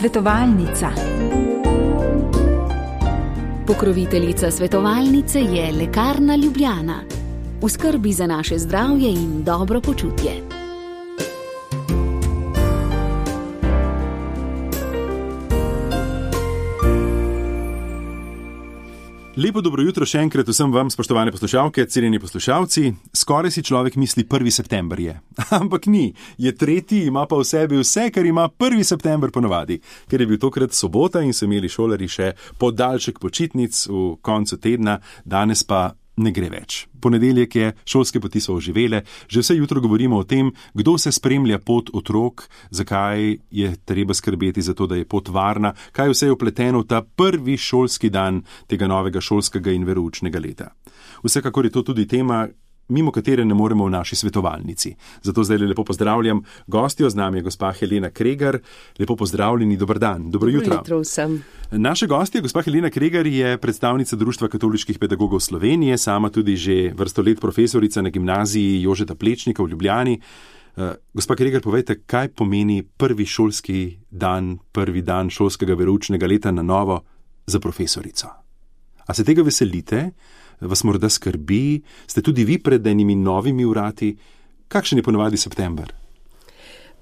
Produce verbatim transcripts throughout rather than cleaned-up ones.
Svetovalnica. Pokroviteljica svetovalnice je Lekarna Ljubljana. V skrbi za naše zdravje in dobro počutje. Lepo dobro jutro še enkrat vsem vam, spoštovane poslušalke, cenjeni poslušalci. Skoraj si človek misli prvi september je. Ampak ni. Je tretji, ima pa v sebi vse, kar ima prvi september ponavadi. Ker je bil tokrat sobota in so imeli šolarji še podaljšek počitnic v koncu tedna, danes pa ne gre več. Ponedeljek je, šolske poti so oživele, že vse jutro govorimo o tem, kdo se spremlja pot otrok, zakaj je treba skrbeti za to, da je pot varna, kaj vse je vpleteno v ta prvi šolski dan tega novega šolskega in veroučnega leta. Vsekakor je to tudi tema, mimo katere ne moremo v naši svetovalnici. Zato zdaj lepo pozdravljam gostjo, z nami je gospa Helena Kregar. Lepo pozdravljeni, dober dan, dobro jutro. Dobro jutro vsem. Naša gostja, gospa Helena Kregar, je predstavnica Društva katoliških pedagogov Slovenije, sama tudi že vrsto let profesorica na gimnaziji Jožeta Plečnika v Ljubljani. Gospa Kregar, povejte, kaj pomeni prvi šolski dan, prvi dan šolskega veroučnega leta na novo za profesorico? A se tega veselite? Vas morda skrbi? Ste tudi vi pred enimi novimi vrati? Kakšen je ponavadi september?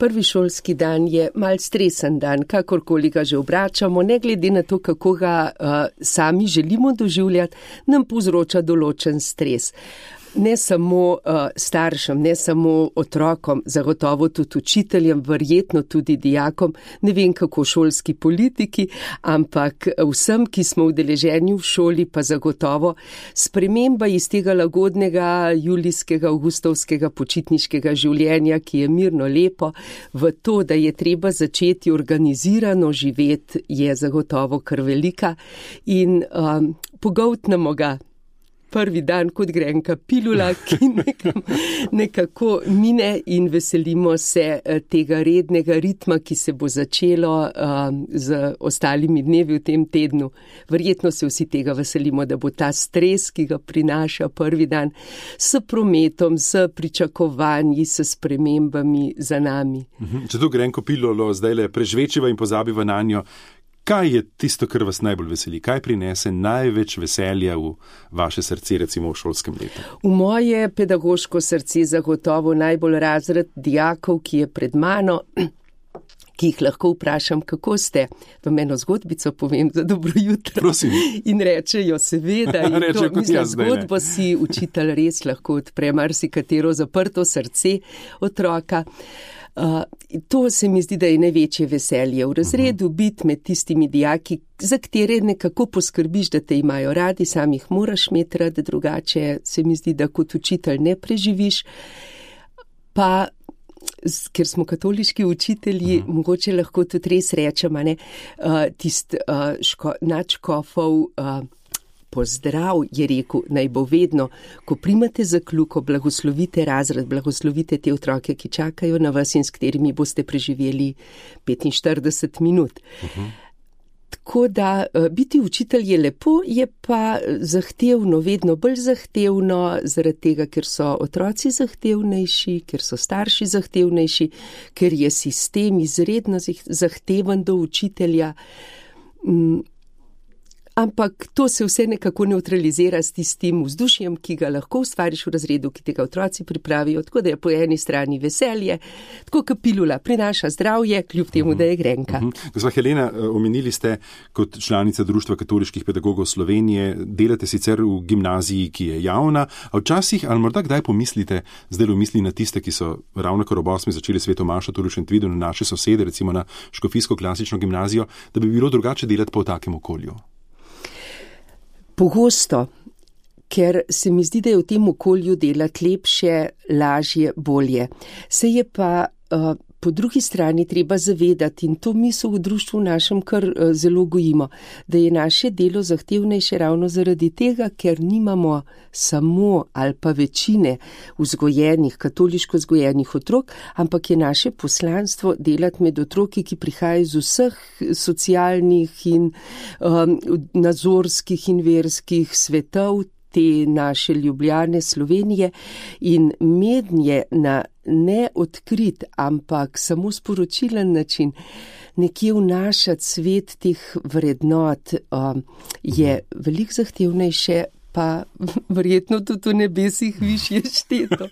Prvi šolski dan je mal stresen dan, kakorkoli ga že obračamo, ne glede na to, kako ga uh, sami želimo doživljati, nam povzroča določen stres. Ne samo uh, staršem, ne samo otrokom, zagotovo tudi učiteljem, verjetno tudi dijakom, ne vem kako šolski politiki, ampak vsem, ki smo udeleženi v šoli, pa zagotovo sprememba iz tega lagodnega julijskega, avgustovskega počitniškega življenja, ki je mirno lepo, v to, da je treba začeti organizirano živeti, je zagotovo kar velika in um, pogoltnemo ga. Prvi dan kot grenka pilula, ki nekam, nekako mine in veselimo se tega rednega ritma, ki se bo začelo um, z ostalimi dnevi v tem tednu. Verjetno se vsi tega veselimo, da bo ta stres, ki ga prinaša prvi dan, s prometom, s pričakovanji, s spremembami za nami. Če to grenko pilulo zdaj le prežvečiva in pozabiva na njo, kaj je tisto, kar vas najbolj veseli? Kaj prinese največ veselja v vaše srce, recimo v šolskem letu? V moje pedagoško srce zagotovo najbolj razred dijakov, ki je pred mano, ki jih lahko vprašam, kako ste. V eno zgodbico povem za dobro jutro. Prosim. In rečejo seveda. In Reče, to, mislim, zgodbo si učitelj res lahko odpre marsikatero zaprto srce otroka. Uh, to se mi zdi, da je največje veselje v razredu, biti med tistimi dijaki, za katere nekako poskrbiš, da te imajo radi, sam jih moraš imeti rad, drugače se mi zdi, da kot učitelj ne preživiš. Pa, ker smo katoliški učitelji, uh-huh. mogoče lahko tudi res rečemo, ne, uh, tist uh, ško, nadškofov uh, pozdrav je rekel, naj bo vedno, ko primate za kljuko, blagoslovite razred, blagoslovite te otroke, ki čakajo na vas in s katerimi boste preživeli petinštirideset minut. Uh-huh. Tako da biti učitelj je lepo, je pa zahtevno, vedno bolj zahtevno, zaradi tega, ker so otroci zahtevnejši, ker so starši zahtevnejši, ker je sistem izredno zahteven do učitelja. Mm. Ampak to se vse nekako neutralizira s tistim vzdušjem, ki ga lahko ustvariš v razredu, ki tega otroci pripravijo, tako da je po eni strani veselje, tako kot pilula prinaša zdravje, kljub temu, da je grenka. Uh-huh. Gospa Helena, omenili ste kot članica Društva katoliških pedagogov Slovenije, delate sicer v gimnaziji, ki je javna, a včasih, ali morda kdaj pomislite, zdaj v misli na tiste, ki so ravno kar ob osmi začeli svetomašo tudi v Šentvidu, na naše sosede, recimo na škofijsko klasično gimnazijo, da bi bilo drugače delati pa v takem okolju? Pogosto, ker se mi zdi, da je v tem okolju delati lepše, lažje, bolje. Se je pa uh, po drugi strani treba zavedati, in to mi so v društvu našem kar uh, zelo gojimo, da je naše delo zahtevnejše ravno zaradi tega, ker nimamo samo ali pa večine vzgojenih, katoliško vzgojenih otrok, ampak je naše poslanstvo delati med otroki, ki prihajajo iz vseh socialnih in um, nazorskih in verskih svetov, te naše Ljubljane, Slovenije in mednje na neodkrit, ampak samo sporočilen način nekje vnašati svet teh vrednot um, je veliko zahtevnejše, pa verjetno tudi v nebesih višje šteto.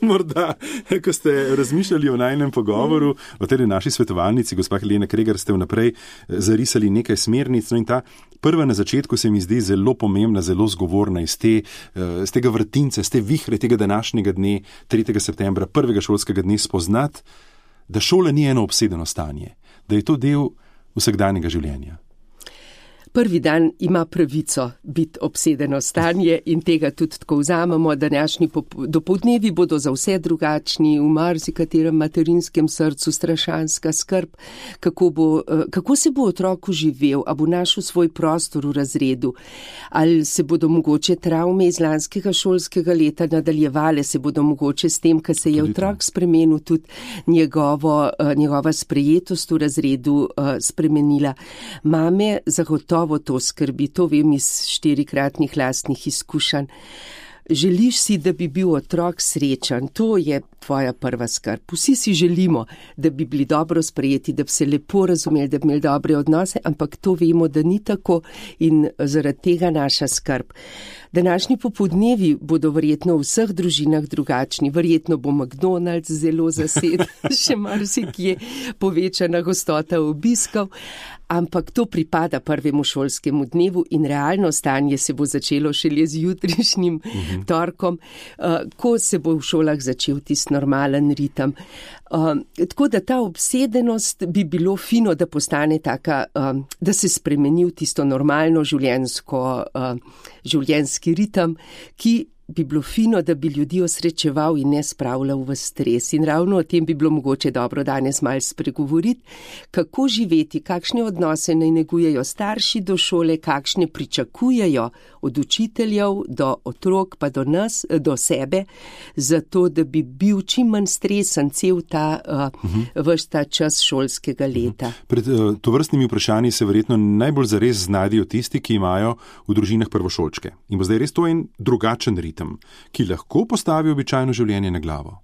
Morda, ko ste razmišljali o najnem pogovoru, o tej naši svetovalnici, gospa Helena Kregar, ste vnaprej zarisali nekaj smernic, no in ta prva na začetku se mi zdi zelo pomembna, zelo zgovorna iz, te, iz tega vrtinca, iz te vihre tega današnjega dne, tretjega septembra, prvega šolskega dne, spoznati, da šola ni eno obsedeno stanje, da je to del vsakdanjega življenja. Prvi dan ima pravico biti obsedeno stanje in tega tudi tako vzamemo. Današnji dopoldnevi bodo za vse drugačni, v marsikaterem materinskem srcu strašanska skrb, kako, bo, kako se bo otrok živel, a bo našel svoj prostor v razredu, ali se bodo mogoče travme iz lanskega šolskega leta nadaljevale, se bodo mogoče s tem, kar se je otrok spremenil, tudi njegovo, njegova sprejetost v razredu spremenila. Mame zagotovo to skrbi, to vem iz štirikratnih lastnih izkušenj. Želiš si, da bi bil otrok srečen, to je tvoja prva skrb. Vsi si želimo, da bi bili dobro sprejeti, da bi se lepo razumeli, da bi imeli dobre odnose, ampak to vemo, da ni tako in zaradi tega naša skrb. Današnji popoldnevi bodo verjetno v vseh družinah drugačni, verjetno bo McDonald's zelo zaseden, še marsikje povečana gostota obiskov, ampak to pripada prvemu šolskemu dnevu in realno stanje se bo začelo šele z jutrišnjim uh-huh. torkom, uh, ko se bo v šolah začel tisti normalen ritem. Uh, tako da ta obsedenost bi bilo fino, da postane taka, uh, da se spremeni v tisto normalno življenjsko, uh, življenjski ritem, ki bi bilo fino, da bi ljudi osrečeval in ne spravljal v stres. In ravno o tem bi bilo mogoče dobro danes malo spregovoriti, kako živeti, kakšne odnose naj negujejo starši do šole, kakšne pričakujejo od učiteljev do otrok, pa do nas, do sebe, zato da bi bil čim manj stresen cel ta, uh, uh-huh. ves ta čas šolskega leta. Uh-huh. Pred uh, tovrstnimi vprašanji se verjetno najbolj zares znajdejo tisti, ki imajo v družinah prvošolčke. In bo zdaj res to en drugačen ritem, ki lahko postavi običajno življenje na glavo.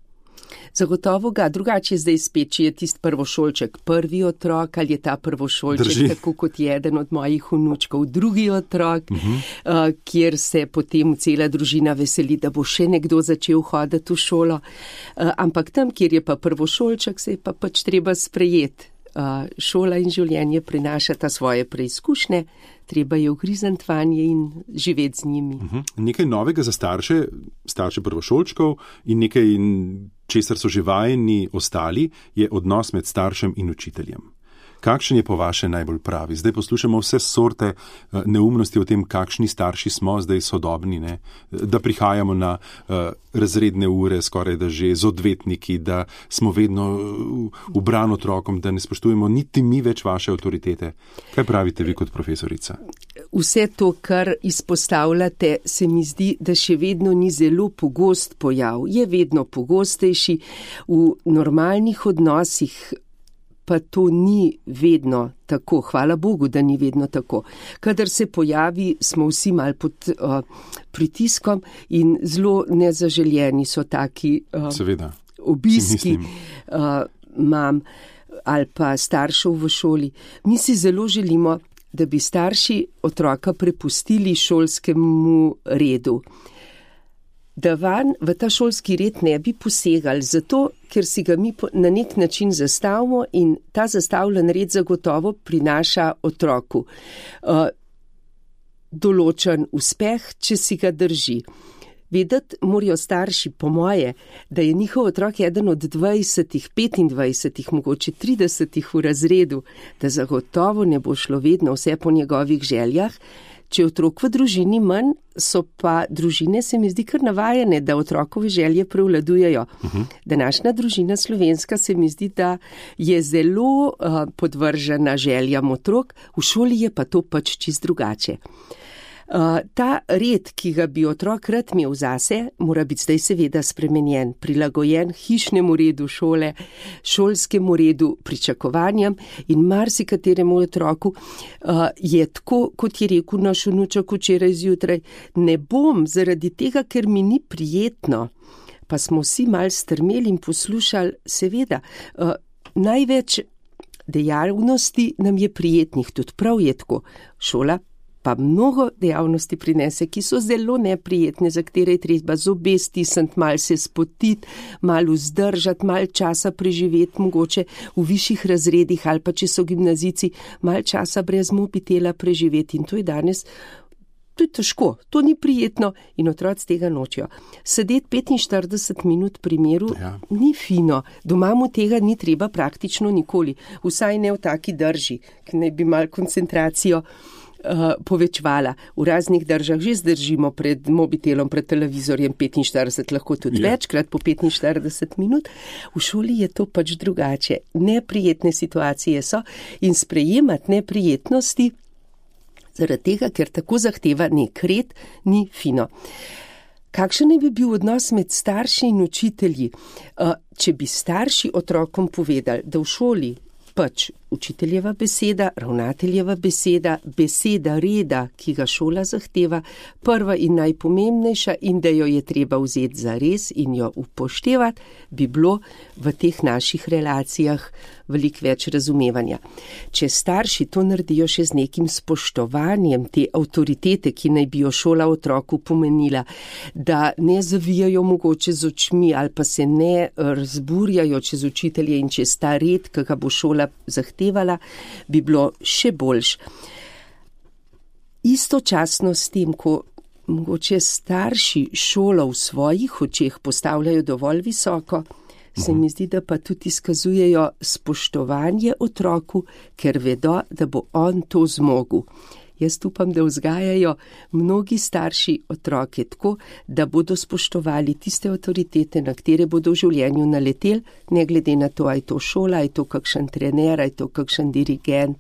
Zagotovo ga, drugače zdaj spet, če je tisti prvošolček prvi otrok, ali je ta prvošolček, Drži. tako kot je eden od mojih vnučkov, drugi otrok, uh-huh. uh, kjer se potem cela družina veseli, da bo še nekdo začel hoditi v šolo. Uh, ampak tam, kjer je pa prvošolček, se je pa pač treba sprejeti. Uh, šola in življenje prinašata svoje preizkušnje, treba je ugrizniti vanje in živeti z njimi. Uh-huh. Nekaj novega za starše, starše prvošolčkov in nekaj, česar so že vajeni ostali, je odnos med staršem in učiteljem. Kakšen je po vaše najbolj pravi? Zdaj poslušamo vse sorte neumnosti o tem, kakšni starši smo zdaj sodobni, ne? Da prihajamo na uh, razredne ure, skoraj da že z odvetniki, da smo vedno v bran otrokom, da ne spoštujemo niti mi več vaše avtoritete. Kaj pravite vi kot profesorica? Vse to, kar izpostavljate, se mi zdi, da še vedno ni zelo pogost pojav. Je vedno pogostejši v normalnih odnosih, pa to ni vedno tako. Hvala Bogu, da ni vedno tako. Kadar se pojavi, smo vsi mal pod uh, pritiskom in zelo nezaželjeni so taki uh, obiski uh, mam ali pa staršev v šoli. Mi si zelo želimo, da bi starši otroka prepustili šolskemu redu. Da van v ta šolski red ne bi posegali, zato ker si ga mi na nek način zastavimo in ta zastavljen red zagotovo prinaša otroku uh, določen uspeh, če si ga drži. Vedeti morajo starši, po moje, da je njihov otrok eden od dvajsetih, petindvajsetih, mogoče tridesetih v razredu, da zagotovo ne bo šlo vedno vse po njegovih željah. Če je otrok v družini manj, so pa družine, se mi zdi, kar navajene, da otrokove želje prevladujejo. Uh-huh. Današnja družina slovenska se mi zdi, da je zelo uh, podvržena željam otrok, v šoli je pa to pač čist drugače. Uh, ta red, ki ga bi otrok rad imel zase, mora biti zdaj seveda spremenjen, prilagojen hišnemu redu šole, šolskemu redu, pričakovanjem in marsikateremu otroku uh, je tako, kot je rekel naš vnuček včeraj zjutraj, ne bom zaradi tega, ker mi ni prijetno, pa smo vsi mal strmeli in poslušali, seveda, uh, največ dejavnosti nam je prijetnih, tudi prav je tako. Šola pa mnogo dejavnosti prinese, ki so zelo neprijetne, za katere je treba zobe stisniti, mal se spotiti, mal vzdržati, mal časa preživeti, mogoče v višjih razredih ali pa če so gimnazijci, mal časa brez mobitela preživeti in to je danes. To je težko, to ni prijetno in otroci tega nočijo. Sedeti petinštirideset minut pri miru ja. Ni fino, doma mu tega ni treba praktično nikoli, vsaj ne v taki drži, ki naj bi mal koncentracijo uh, povečvala. V raznih držah že zdržimo pred mobitelom, pred televizorjem petinštirideset, lahko tudi ja. Večkrat po petinštirideset minut. V šoli je to pač drugače. Neprijetne situacije so in sprejemati neprijetnosti zaradi tega, ker tako zahteva nek red, ni fino. Kakšen naj bi bil odnos med starši in učitelji? Če bi starši otrokom povedali, da v šoli pač učiteljeva beseda, ravnateljeva beseda, beseda reda, ki ga šola zahteva, prva in najpomembnejša in da jo je treba vzeti za res in jo upoštevati, bi bilo v teh naših relacijah veliko več razumevanja. Če starši to naredijo še z nekim spoštovanjem te avtoritete, ki naj bi jo šola otroku pomenila, da ne zavijajo mogoče z očmi ali pa se ne razburjajo čez učitelje in čez ta red, ki ga bo šola zahtevala, bi bilo še boljš. Istočasno s tem, ko mogoče starši šolo v svojih očeh postavljajo dovolj visoko, se mi zdi, da pa tudi izkazujejo spoštovanje otroku, ker vedo, da bo on to zmogel. Jaz upam, da vzgajajo mnogi starši otroke tako, da bodo spoštovali tiste avtoritete, na katere bodo v življenju naleteli, ne glede na to, ali je to šola, ali je to kakšen trener, ali je to kakšen dirigent,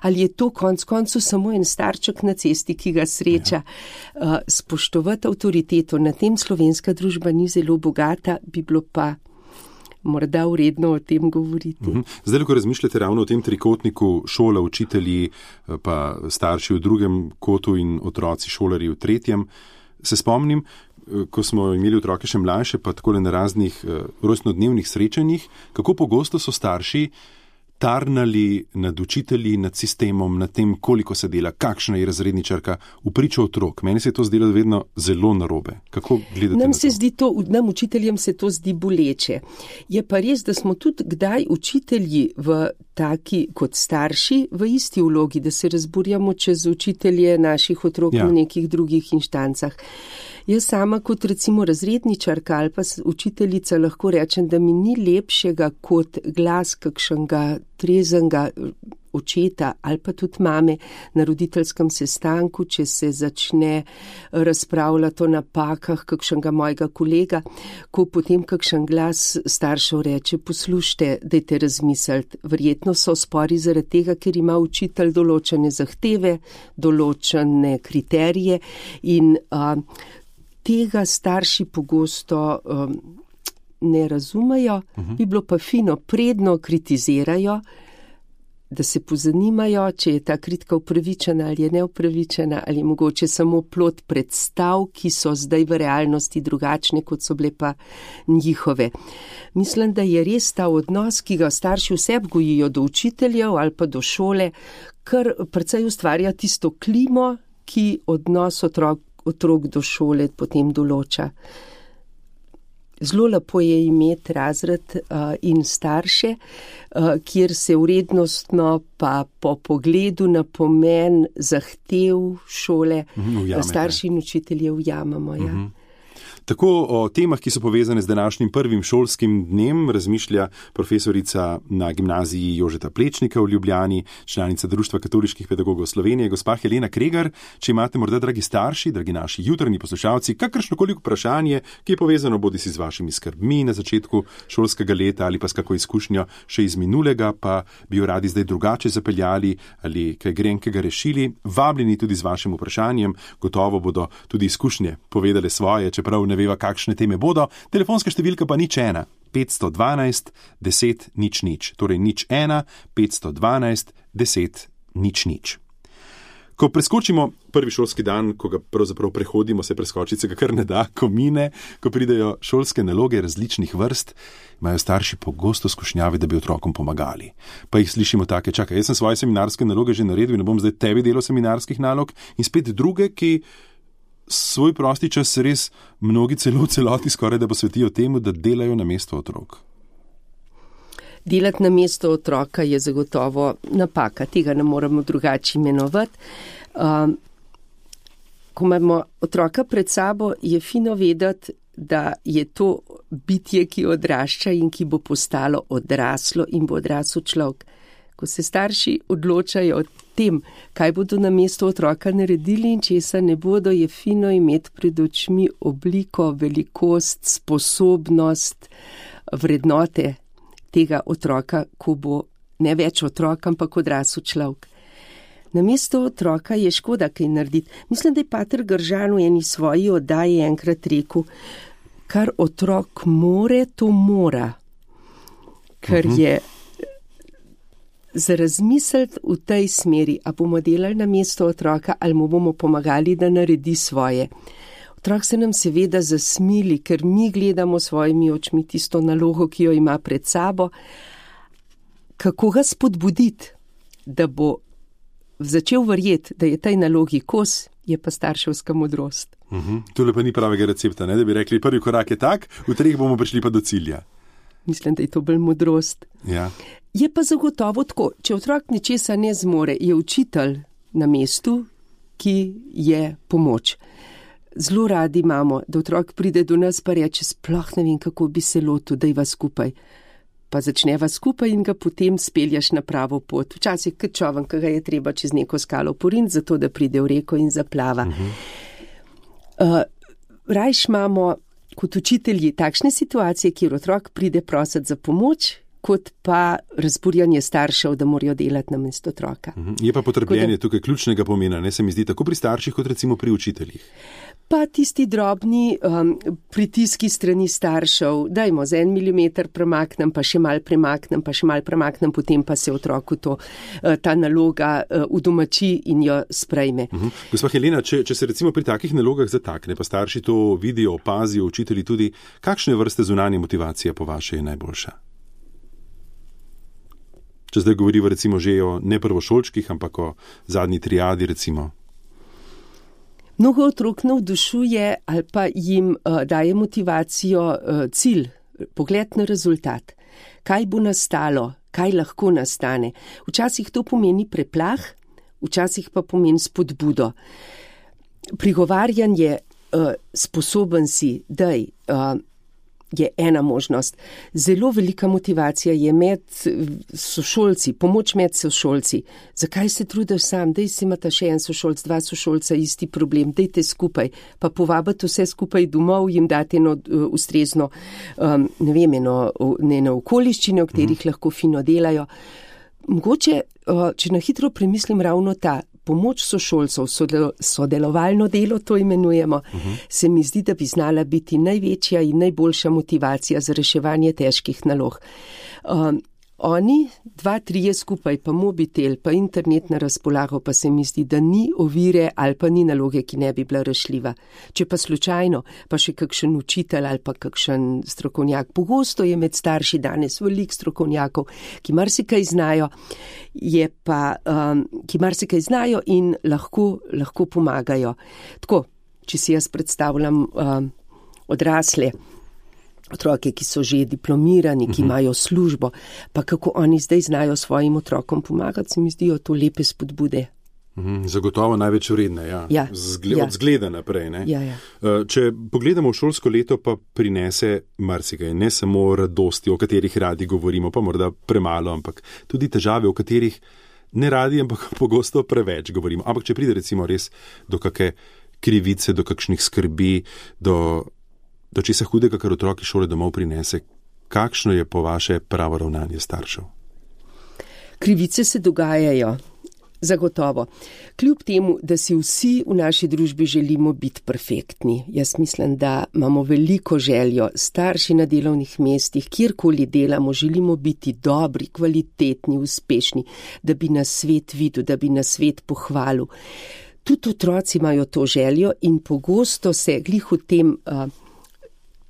ali je to konc koncu samo en starček na cesti, ki ga sreča. Ja. Spoštovati avtoriteto, na tem slovenska družba ni zelo bogata, bi bilo pa morda vredno o tem govoriti. Zdaj, ko razmišljate ravno o tem trikotniku šola, učitelji, pa starši v drugem kotu in otroci šolarji v tretjem, se spomnim, ko smo imeli otroke še mlajše, pa takole na raznih rojstnodnevnih srečanjih, kako pogosto so starši tarnali nad učitelji, nad sistemom, nad tem, koliko se dela, kakšna je razredničarka v pričo otrok. Meni se je to zdelo vedno zelo narobe. Kako gledate nam na se to? Zdi to? Nam učiteljem se to zdi boleče. Je pa res, da smo tudi kdaj učitelji v taki kot starši v isti vlogi, da se razburjamo čez učitelje naših otrok ja. V nekih drugih inštancah. Jaz sama kot recimo razredničarka ali pa učiteljica lahko rečem, da mi ni lepšega kot glas kakšnega trezenga očeta ali pa tudi mame na roditeljskem sestanku, če se začne razpravljati o napakah kakšnega mojega kolega, ko potem kakšen glas staršev reče, poslušajte, dajte razmisliti, verjetno so spori zaradi tega, ker ima učitelj določene zahteve, določene kriterije in a, tega starši pogosto um, ne razumejo, uh-huh. Bi bilo pa fino, predno kritizirajo, da se pozanimajo, če je ta kritika upravičena ali je neupravičena, ali mogoče samo plod predstav, ki so zdaj v realnosti drugačne, kot so bile pa njihove. Mislim, da je res ta odnos, ki ga starši vse gojijo do učiteljev ali pa do šole, kar precej ustvarja tisto klimo, ki odnos otrok otrok do šole potem določa. Zelo lepo je imeti razred uh, in starše, uh, kjer se vrednostno pa po pogledu na pomen zahtev šole ujame, starši in učitelje ujamemo. Ja. Uh-huh. Tako o temah, ki so povezane z današnjim prvim šolskim dnem, razmišlja profesorica na gimnaziji Jožeta Plečnika v Ljubljani, članica Društva katoliških pedagogov Slovenije, gospa Helena Kregar. Če imate morda, dragi starši, dragi naši jutranji poslušalci, kakršnokoli vprašanje, ki je povezano bodisi z vašimi skrbmi na začetku šolskega leta ali pa s kako izkušnjo še iz minulega, pa bi jo radi zdaj drugače zapeljali ali kaj grenkega rešili, vabljeni tudi z vašim vprašanjem. Gotovo bodo tudi izkušnje povedale svoje, čeprav ne veva, kakšne teme bodo. Telefonska številka pa nič ena, petsto dvanajst, deset, nič nič. Torej nič ena, petsto dvanajst, deset, nič nič. Ko preskočimo prvi šolski dan, ko ga pravzaprav prehodimo, se preskočiti se ga kar ne da, ko mine, ko pridejo šolske naloge različnih vrst, imajo starši pogosto skušnjave, da bi otrokom pomagali. Pa jih slišimo take, čakaj, jaz sem svoje seminarske naloge že naredil in ne bom zdaj tebi delal seminarskih nalog, in spet druge, ki svoj prosti čas res mnogi celo v celoti skoraj da posvetijo temu, da delajo na mesto otrok. Delati na mesto otroka je zagotovo napaka, tega ne moremo drugače imenovati. Um, ko imamo otroka pred sabo, je fino vedeti, da je to bitje, ki odrašča in ki bo postalo odraslo in bo odrasel človek. Ko se starši odločajo o tem, kaj bodo na mesto otroka naredili in česa ne bodo, je fino imeti pred očmi obliko, velikost, sposobnost, vrednote tega otroka, ko bo ne več otrok, ampak odrasel človek. Na mesto otroka je škoda kaj narediti. Mislim, da je pater Gržan v eni svoji oddaji enkrat rekel, kar otrok more, to mora. Ker uh-huh. je za razmisliti v tej smeri, a bomo delali na mesto otroka ali mu bomo pomagali, da naredi svoje. Otrok se nam seveda zasmili, ker mi gledamo svojimi očmi tisto nalogo, ki jo ima pred sabo. Kako ga spodbuditi, da bo začel verjeti, da je tej nalogi kos, je pa starševska modrost. Uh-huh. Tole pa ni pravega recepta, ne? Da bi rekli, prvi korak je tak, v treh bomo prišli pa do cilja. Mislim, da je to bolj modrost. Ja. Je pa zagotovo tako, če otrok ničesa ne zmore, je učitelj na mestu, ki je pomoč. Zelo radi imamo, da otrok pride do nas pa reče, sploh ne vem, kako bi se lotil, da je skupaj. Pa začneva skupaj in ga potem speljaš na pravo pot. Včasih kot čoven, ki ga je treba čez neko skalo poriniti, zato da pride v reko in zaplava. Uh-huh. Uh, rajš imamo kot učitelji takšne situacije, kjer otrok pride prositi za pomoč, kot pa razburjanje staršev, da morajo delati na mesto otroka. Je pa potrpljenje da, tukaj ključnega pomena, ne se mi zdi, tako pri starših, kot recimo pri učiteljih. Pa tisti drobni um, pritiski strani staršev, dajmo za en milimeter premaknem, pa še mal premaknem, pa še mal premaknem, potem pa se otroku to, uh, ta naloga uh, udomači in jo sprejme. Uh-huh. Gospa Helena, če, če se recimo pri takih nalogah zatakne, pa starši to vidijo, opazijo, učitelji tudi, kakšne vrste zunanje motivacije po vaše je najboljša? Če zdaj govoriva recimo že o ne prvošolčkih, ampak o zadnji triadi recimo. Mnogo otrok navdušuje ali pa jim uh, daje motivacijo uh, cilj, pogled na rezultat. Kaj bo nastalo, kaj lahko nastane. Včasih to pomeni preplah, včasih pa pomeni spodbudo. Prigovarjanje uh, sposoben si, daj, uh, je ena možnost. Zelo velika motivacija je med sošolci, pomoč med sošolci. Zakaj se trudiš sam? Dej si imata še en sošolc, dva sošolca, isti problem, dejte skupaj, pa povabite vse skupaj domov, jim date eno uh, ustrezno, um, ne vem, eno, eno okoliščine, v katerih mm. lahko fino delajo. Mogoče, uh, če na hitro premislim ravno ta, pomoč sošolcev, sodelovalno delo, to imenujemo, uh-huh. se mi zdi, da bi znala biti največja in najboljša motivacija za reševanje težkih nalog. Um, oni, dva, trije skupaj, pa mobitel, pa internet na razpolago, pa se mi zdi, da ni ovire ali pa ni naloge, ki ne bi bila rešljiva. Če pa slučajno, pa še kakšen učitelj ali pa kakšen strokovnjak. Pogosto je med starši danes veliko strokovnjakov, ki marsikaj znajo, je pa, um, ki marsikaj znajo in lahko, lahko pomagajo. Tako, če si jaz predstavljam um, odrasle, otroke, ki so že diplomirani, ki imajo službo, pa kako oni zdaj znajo svojim otrokom pomagati, se mi zdijo to lepe spodbude. Zagotovo največ vredne, ja. Ja, Zgle, ja. Od zgleda naprej. Ne? Ja, ja. Če pogledamo šolsko leto, pa prinese marsikaj, ne samo radosti, o katerih radi govorimo, pa morda premalo, ampak tudi težave, o katerih ne radi, ampak pogosto preveč govorimo. Ampak če pride recimo res do kakšne krivice, do kakšnih skrbi, do, do česa hudega, kar otroki šole domov prinese, kakšno je po vaše pravo ravnanje staršev? Krivice se dogajajo. Zagotovo. Kljub temu, da si vsi v naši družbi želimo biti perfektni. Jaz mislim, da imamo veliko željo, starši na delovnih mestih, kjerkoli delamo, želimo biti dobri, kvalitetni, uspešni, da bi nas svet videl, da bi nas svet pohvalil. Tudi otroci imajo to željo in pogosto se glih v tem uh,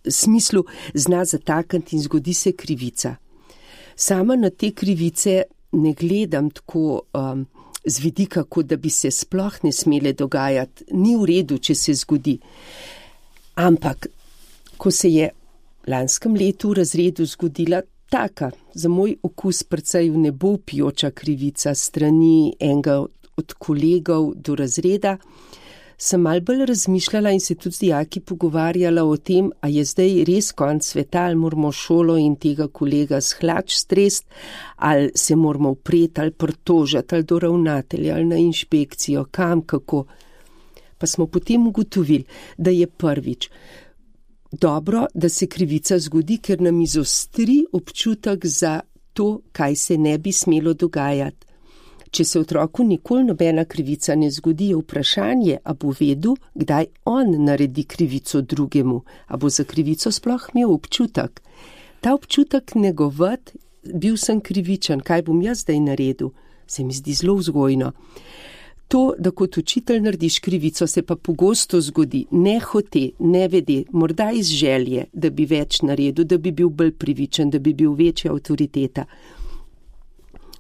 smislu zna zatakniti in zgodi se krivica. Sama na te krivice ne gledam tako um, z vidika, kot da bi se sploh ne smele dogajati. Ni v redu, če se zgodi. Ampak, ko se je lanskem letu v razredu zgodila taka, za moj okus precej v nebo vpijoča krivica strani enega od kolegov do razreda, sem malo bolj razmišljala in se tudi z dijaki pogovarjala o tem, a je zdaj res konc sveta, ali moramo šolo in tega kolega s hlač strest, ali se moramo upreti, ali pritožiti, ali do ravnatelja, ali na inšpekcijo, kam, kako. Pa smo potem ugotovili, da je prvič dobro, da se krivica zgodi, ker nam izostri občutek za to, kaj se ne bi smelo dogajati. Če se otroku nikoli nobena krivica ne zgodi, je vprašanje, a bo vedel, kdaj on naredi krivico drugemu, a bo za krivico sploh imel občutek. Ta občutek negovati, bil sem krivičen, kaj bom jaz zdaj naredil, se mi zdi zelo vzgojno. To, da kot učitelj narediš krivico, se pa pogosto zgodi, ne hote, ne vede, morda iz želje, da bi več naredil, da bi bil bolj privičen, da bi bil večja avtoriteta.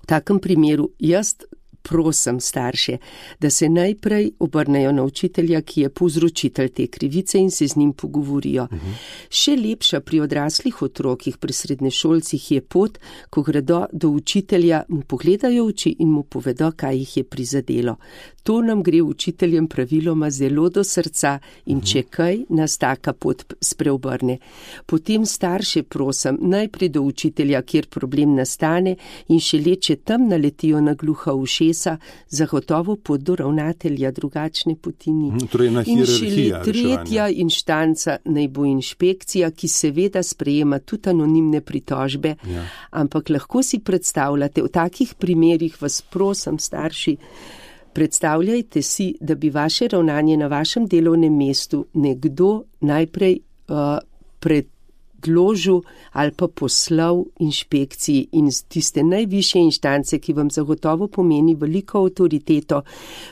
V takem primeru jaz prosim starše, da se najprej obrnejo na učitelja, ki je povzročitelj te krivice in se z njim pogovorijo. Uh-huh. Še lepša pri odraslih otrokih, pri srednješolcih je pot, ko gredo do učitelja, mu pogledajo v oči in mu povedo, kaj jih je prizadelo. To nam gre učiteljem praviloma zelo do srca in če kaj, nas taka pot spreobrne. Potem starše prosim, najprej do učitelja, kjer problem nastane in šele, če tam naletijo na gluha ušesa, zagotovo pot do ravnatelja, drugačne poti ni. Torej na in šele hierarhija tretja reševanja. inštanca naj bo inšpekcija, ki seveda sprejema tudi anonimne pritožbe, Ja. ampak lahko si predstavljate, v takih primerih vas prosim starši, predstavljajte si, da bi vaše ravnanje na vašem delovnem mestu nekdo najprej uh, predložil ali pa poslal inšpekciji in z tiste najvišje inštance, ki vam zagotovo pomeni veliko avtoriteto,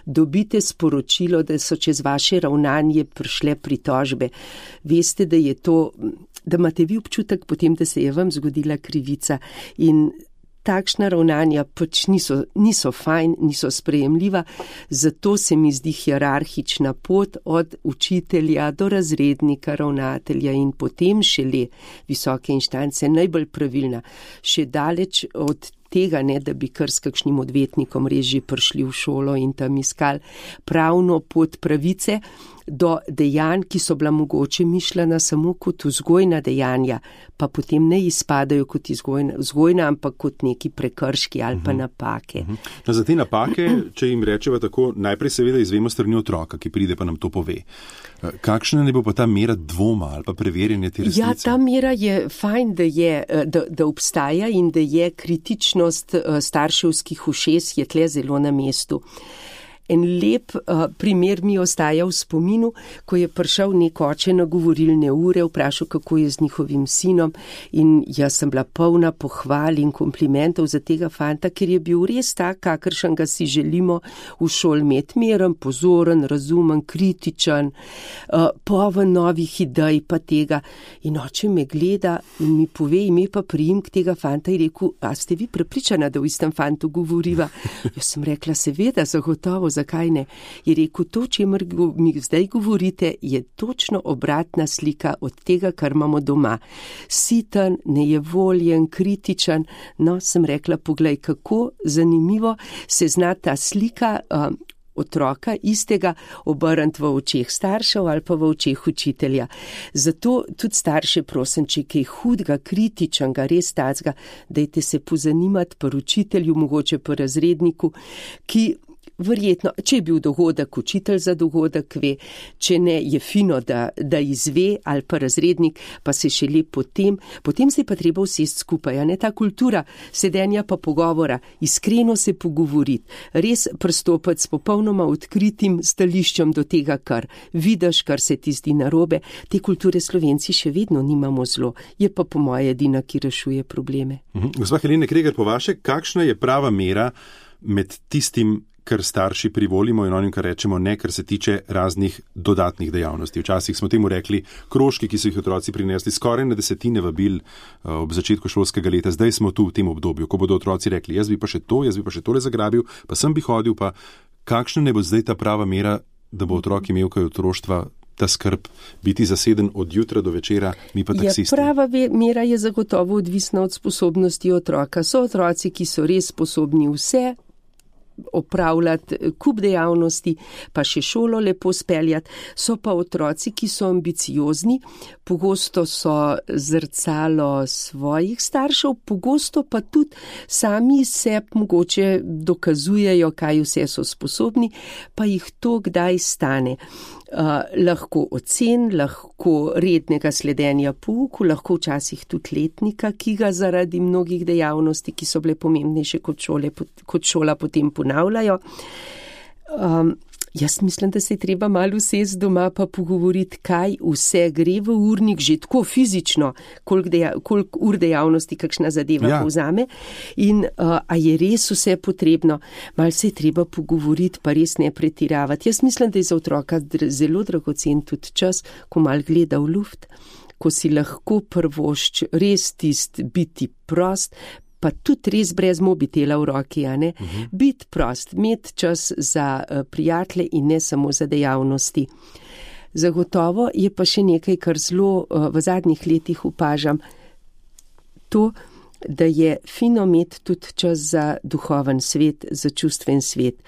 dobite sporočilo, da so čez vaše ravnanje prišle pritožbe. Veste, da je to, da imate vi občutek potem, da se je vam zgodila krivica in takšna ravnanja pač niso, niso fajn, niso sprejemljiva, zato se mi zdi hierarhična pot od učitelja do razrednika, ravnatelja in potem šele visoke inštance najbolj pravilna. Še daleč od tega, ne, da bi kar s kakšnim odvetnikom res že prišli v šolo in tam iskali pravno pot pravice do dejanj, ki so bila mogoče mišljena samo kot vzgojna dejanja, pa potem ne izpadajo kot vzgojna, vzgojna ampak kot neki prekrški ali pa napake. No, za te napake, če jim rečeva tako, najprej seveda izvemo strani otroka, ki pride pa nam to pove. Kakšna ne bo pa ta mera dvoma ali pa preverjanje te resnice? Ja, ta mera je fajn, da, je, da, da obstaja in da je kritičnost starševskih ušes je tle zelo na mestu. En lep uh, primer mi ostaja v spominu, ko je prišel nek oče na govorilne ure, vprašal, kako je z njihovim sinom in jaz sem bila polna pohval in komplimentov za tega fanta, ker je bil res tak, kakršen ga si želimo v šoli imeti, miren, pozoren, razumen, kritičen, uh, poln novih idej pa tega. In oče me gleda in mi pove ime pa priimek tega fanta in rekel, a ste vi prepričana, da v istem fantu govoriva? Jaz sem rekla, seveda, zagotovo, zakaj ne? Je rekel, to, čemer mi zdaj govorite, je točno obratna slika od tega, kar imamo doma. Siten, nejevoljen, kritičen. No, sem rekla, poglej, kako zanimivo se zna ta slika uh, otroka istega obrniti v očeh staršev ali pa v očeh učitelja. Zato tudi starše prosim, če kaj hudega, kritičnega, res tacga, dajte se pozanimati pri učitelju, mogoče pri razredniku, ki verjetno, če je bil dogodek, učitelj za dogodek ve, če ne, je fino, da, da izve ali pa razrednik, pa se šele potem, potem se je pa treba usesti skupaj, a ne ta kultura sedenja pa pogovora, iskreno se pogovoriti, res pristopiti s popolnoma odkritim stališčem do tega, kar vidiš, kar se ti zdi narobe. Te kulture Slovenci še vedno nimamo zelo, je pa po moje edina, ki rešuje probleme. Mhm. Gospa Helena Kregar, po vaše, kakšna je prava mera med tistim, kar starši privolimo in onim, kar rečemo ne, kar se tiče raznih dodatnih dejavnosti. Včasih smo temu rekli krožki, ki so jih otroci prinesli skoraj na desetine vabil ob začetku šolskega leta. Zdaj smo tu v tem obdobju, ko bodo otroci rekli, jaz bi pa še to, jaz bi pa še tole zagrabil, pa sem bi hodil, pa kakšna ne bo zdaj ta prava mera, da bo otrok imel kaj otroštva, ta skrb, biti zaseden od jutra do večera, mi pa taksisti. Ja, prava mera je zagotovo odvisna od sposobnosti otroka. So otroci, ki so res sposobni vse opravljati kup dejavnosti, pa še šolo lepo speljati. So pa otroci, ki so ambiciozni, pogosto so zrcalo svojih staršev, pogosto pa tudi sami se mogoče dokazujejo, kaj vse so sposobni, pa jih to kdaj stane. Uh, lahko ocen, lahko rednega sledenja pouku, lahko včasih tudi letnika, ki ga zaradi mnogih dejavnosti, ki so bile pomembnejše kot, šole, kot šola, potem ponavljajo. Um, jaz mislim, da se je treba malo usesti doma pa pogovoriti, kaj vse gre v urnik, že tako fizično, koliko, deja, koliko ur dejavnosti kakšna zadeva ja. povzame in uh, a je res vse potrebno. Malo se je treba pogovoriti, pa res ne pretiravati. Jaz mislim, da je za otroka zelo dragocen tudi čas, ko mal gleda v luft, ko si lahko prvošč res tist biti prost, pa tudi res brez mobitela v roki, a ne? Uh-huh. Biti prost, imeti čas za uh, prijatelje in ne samo za dejavnosti. Zagotovo je pa še nekaj, kar zelo uh, v zadnjih letih opažam, to, da je fino imeti tudi čas za duhoven svet, za čustven svet.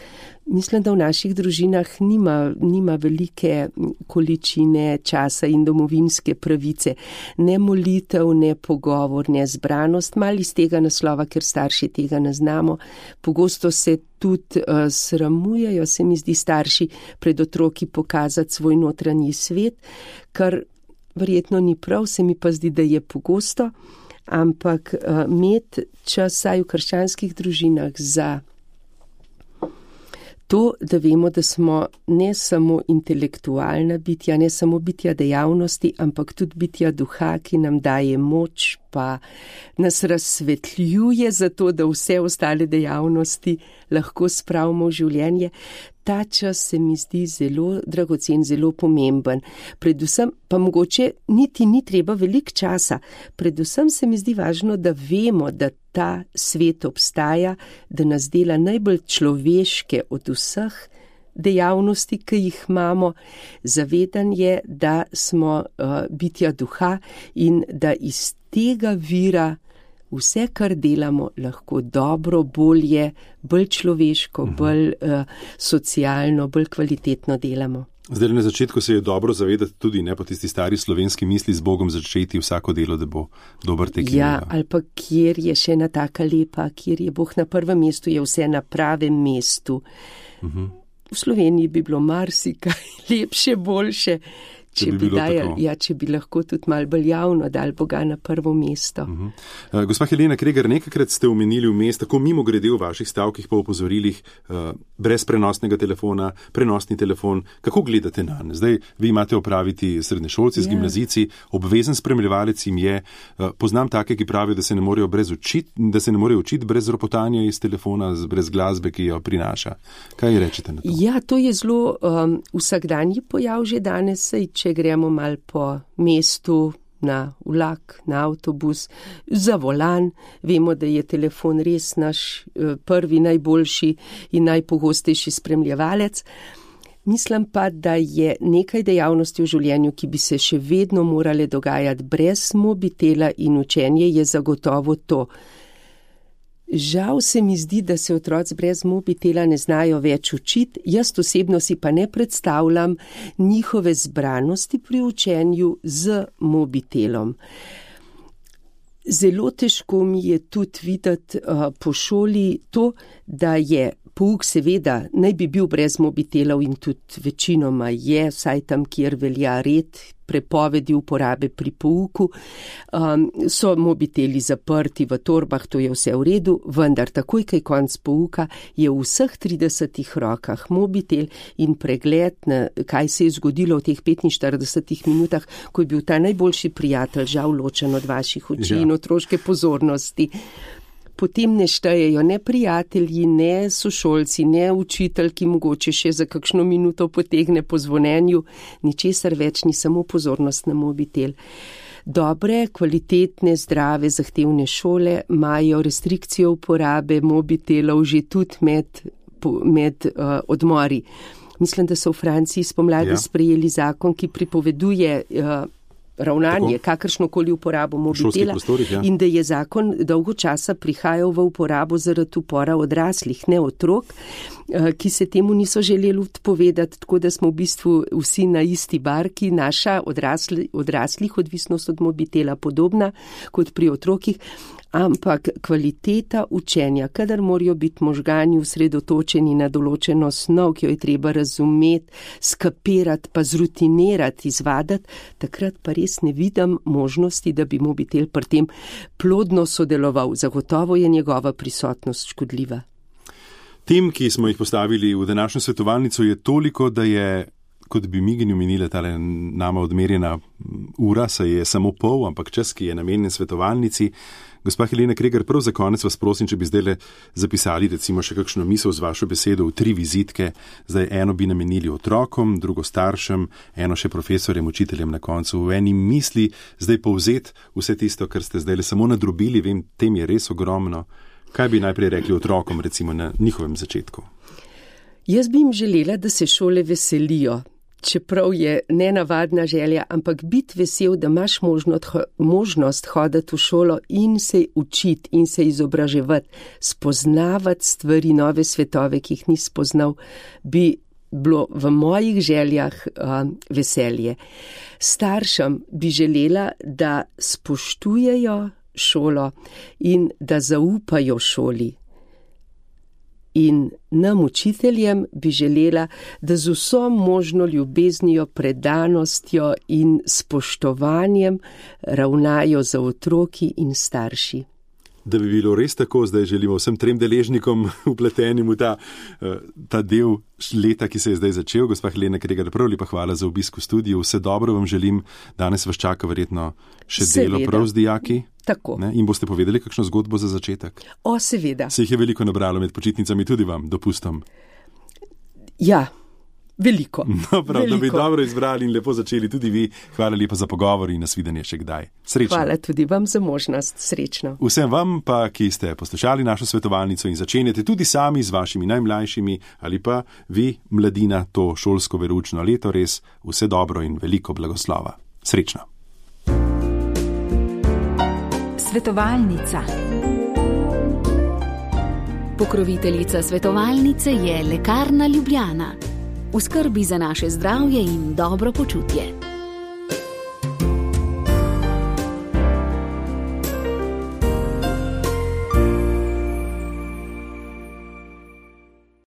Mislim, da v naših družinah nima, nima velike količine časa in domovinske pravice. Ne molitev, ne pogovor, ne zbranost, malo iz tega naslova, ker starši tega ne znamo. Pogosto se tudi uh, sramujejo, se mi zdi, starši pred otroki pokazati svoj notranji svet, kar verjetno ni prav, se mi pa zdi, da je pogosto, ampak uh, imeti čas saj v krščanskih družinah za to, da vemo, da smo ne samo intelektualna bitja, ne samo bitja dejavnosti, ampak tudi bitja duha, ki nam daje moč, pa nas razsvetljuje za to, da vse ostale dejavnosti lahko spravimo v življenje. Ta čas se mi zdi zelo dragocen, zelo pomemben. Predvsem pa mogoče niti ni treba veliko časa. Predvsem se mi zdi važno, da vemo, da ta svet obstaja, da nas dela najbolj človeške od vseh dejavnosti, ki jih imamo. Zavedanje, da smo uh, bitja duha in da iz tega vira vse, kar delamo, lahko dobro, bolje, bolj človeško, bolj uh, socialno, bolj kvalitetno delamo. Zdaj na začetku se je dobro zavedati tudi ne po tisti stari slovenski misli z Bogom začeti vsako delo, da bo dober tek. Ja, ali pa kjer je še ena taka lepa, kjer je Bog na prvem mestu, je vse na pravem mestu. Uh-huh. V Sloveniji bi bilo marsikaj lepše, boljše. Če bi, bi, dajal, ja, če bi lahko tudi malo bolj javno dal Boga na prvo mesto. Uh-huh. Uh, gospa Helena Kregar, nekajkrat ste omenili vmes, tako mimo grede v vaših stavkih pa opozorilih, uh, brez prenosnega telefona, prenosni telefon. Kako gledate na ne? Zdaj, vi imate opraviti srednješolci z ja. gimnazijci, obvezen spremljevalec jim je. Uh, poznam take, ki pravijo, da se ne morejo brez učiti, da se ne morejo učiti brez ropotanja iz telefona, brez glasbe, ki jo prinaša. Kaj rečete na to? Ja, to je zelo um, vsakdanji pojav že danes, sej, če gremo mal po mestu, na vlak, na avtobus, za volan. Vemo, da je telefon res naš prvi, najboljši in najpogostejši spremljevalec. Mislim pa, da je nekaj dejavnosti v življenju, ki bi se še vedno morale dogajati brez mobitela in učenje je zagotovo to. Žal se mi zdi, da se otroci brez mobitela ne znajo več učiti, jaz osebno si pa ne predstavljam njihove zbranosti pri učenju z mobitelom. Zelo težko mi je tudi videti uh, po šoli to, da je pouk seveda naj bi bil brez mobitelov in tudi večinoma je, vsaj tam, kjer velja red, prepovedi uporabe pri pouku, um, so mobiteli zaprti v torbah, to je vse v redu, vendar takoj, kaj konc pouka, je v vseh tridesetih rokah mobitel in pregled, na, kaj se je zgodilo v teh petinštiridesetih minutah, ko je bil ta najboljši prijatelj žal ločen od vaših oči ja. in otroške pozornosti. Potem ne štejejo ne prijatelji, ne sošolci, ne učitelj, ki mogoče še za kakšno minuto potegne po zvonenju, ničesar več ni, samo pozornost na mobitel. Dobre, kvalitetne, zdrave, zahtevne šole imajo restrikcijo uporabe mobitelov že tudi med, med uh, odmori. Mislim, da so v Franciji spomladi ja. sprejeli zakon, ki pripoveduje uh, ravnanje, kakršnokoli uporabo mobitela ja. in da je zakon dolgo časa prihajal v uporabo zaradi upora odraslih, ne otrok, ki se temu niso želeli odpovedati, tako da smo v bistvu vsi na isti barki, naša odrasli, odraslih odvisnost od mobitela podobna kot pri otrokih, ampak kvaliteta učenja, kadar morajo biti možgani usredotočeni na določeno snov, ki jo je treba razumeti, skapirati, pa zrutinirati, izvadati, takrat pa res ne vidim možnosti, da bi mobitel pri tem plodno sodeloval. Zagotovo je njegova prisotnost škodljiva. Tem, ki smo jih postavili v današnjo svetovalnico, je toliko, da je, kot bi Migini omenile, tale nama odmerjena ura, saj je samo pol, ampak čas, ki je namenjen svetovalnici. Gospa Helena Kregar, prav za konec vas prosim, če bi zdaj zapisali recimo še kakšno misel z vašo besedo v tri vizitke. Zdaj eno bi namenili otrokom, drugo staršem, eno še profesorjem, učiteljem na koncu. V eni misli zdaj povzeti vse tisto, kar ste zdaj le samo nadrobili, vem, tem je res ogromno. Kaj bi najprej rekli otrokom recimo na njihovem začetku? Jaz bi jim želela, da se šole veselijo. Čeprav je nenavadna želja, ampak biti vesel, da imaš možnost, možnost hoditi v šolo in se učiti in se izobraževati, spoznavati stvari, nove svetove, ki jih ni spoznal, bi bilo v mojih željah uh, veselje. Staršem bi želela, da spoštujejo šolo in da zaupajo šoli. In nam učiteljem bi želela, da z vso možno ljubeznijo, predanostjo in spoštovanjem ravnajo za otroki in starši. Da bi bilo res tako, zdaj želimo vsem trem deležnikom upletenim v ta, ta del leta, ki se je zdaj začel. Gospa Helena Kregar, prav lepa hvala za obisk v studiu. Vse dobro vam želim. Danes vas čaka verjetno še seveda. Delo prav z dijaki. Tako. Ne? In boste povedali kakšno zgodbo za začetek? O, seveda. Se jih je veliko nabralo med počitnicami, tudi vam, dopustom. Ja, veliko. No, prav, veliko. Da bi dobro izbrali in lepo začeli tudi vi. Hvala lepa za pogovor in nasvidenje še kdaj. Srečno. Hvala tudi vam za možnost. Srečno. Vsem vam pa, ki ste poslušali našo svetovalnico in začenjate tudi sami z vašimi najmlajšimi ali pa vi, mladina, to šolsko veroučno leto, res vse dobro in veliko blagoslova. Srečno. Svetovalnica. Pokroviteljica svetovalnice je Lekarna Ljubljana. V skrbi za naše zdravje in dobro počutje.